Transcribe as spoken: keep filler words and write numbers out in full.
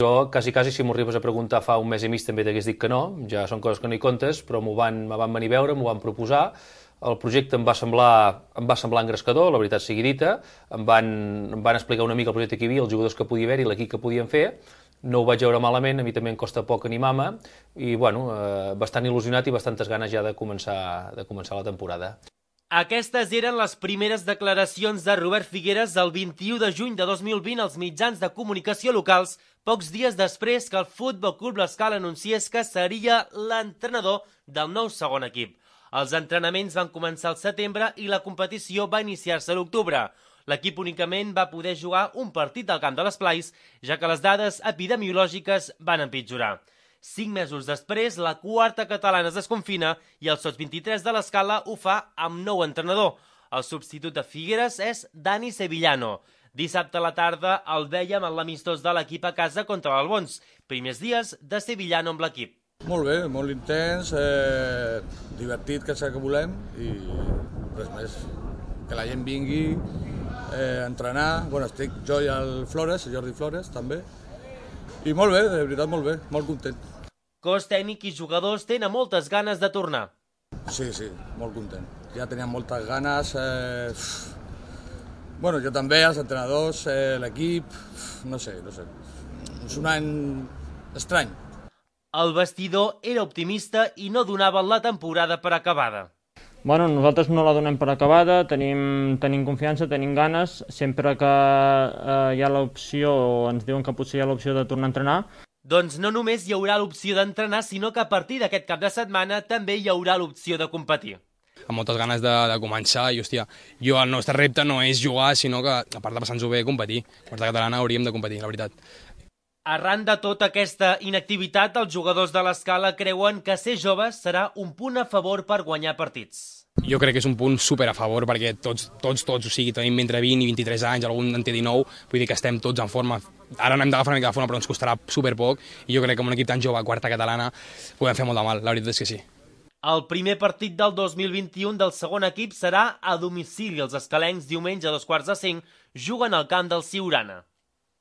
Jo, quasi, quasi, si m'ho arribes a preguntar fa un mes i mig també t'hagués dit que no, ja són coses que no hi comptes, però m'ho van, me van venir a veure, m'ho van proposar, el projecte em va semblar, em va semblar engrescador, la veritat sigui dita, em van, em van explicar una mica el projecte que hi havia, els jugadors que podia haver-hi, l'equip que podien fer, no ho vaig veure malament, a mi també em costa poc animar-me, i bueno, eh, bastant il·lusionat i bastantes ganes ja de començar, de començar la temporada. Aquestes eren les primeres declaracions de Robert Figueres el vint-i-u de juny de dos mil vint als mitjans de comunicació locals, pocs dies després que el Futbol Club l'Escala anunciés que seria l'entrenador del nou segon equip. Els entrenaments van començar al setembre i la competició va iniciar-se a l'octubre. L'equip únicament va poder jugar un partit al camp de l'Esplais, ja que les dades epidemiològiques van empitjorar. Cinc mesos després, la quarta catalana es desconfina i el Sots vint-i-tres de l'Escala ho fa amb nou entrenador. El substitut de Figueres és Dani Sevillano. Dissabte a la tarda el vèiem en l'amistós de l'equip a casa contra l'Albons. Primers dies de Sevillano amb l'equip. Molt bé, molt intens, eh, divertit, que és el que volem, i res més. Que la gent vingui eh, a entrenar. Bueno, estic jo i el Flores, el Jordi Flores, també. I molt bé, de veritat molt bé, molt content. Cos tècnic i jugadors tenen moltes ganes de tornar. Sí, sí, molt content. Ja teníem moltes ganes. Eh... Bueno, jo també, els entrenadors, eh, l'equip, no sé, no sé. És un any estrany. El vestidor era optimista i no donaven la temporada per acabada. Bueno, nosaltres no la donem per acabada, tenim, tenim confiança, tenim ganes, sempre que eh, hi ha l'opció, o ens diuen que potser hi ha l'opció de tornar a entrenar. Doncs no només hi haurà l'opció d'entrenar, sinó que a partir d'aquest cap de setmana també hi haurà l'opció de competir. Amb moltes ganes de, de començar i, hòstia, jo el nostre repte no és jugar, sinó que, a part de passar-nos-ho bé, competir. Quarta catalana hauríem de competir, la veritat. Arran de tota aquesta inactivitat, els jugadors de l'Escala creuen que ser joves serà un punt a favor per guanyar partits. Jo crec que és un punt super a favor perquè tots, tots, tots, o sigui, tenim entre vint i vint-i-tres anys, algun en té dinou, vull dir que estem tots en forma. Ara no hem d'agafar una mica de forma, però ens costarà super poc, i jo crec que amb un equip tan jove, quarta catalana, podem fer molt de mal, la veritat és que sí. El primer partit del dos mil vint-i-u del segon equip serà a domicili. Els escalencs diumenge a dos quarts de cinc juguen al camp del Siurana.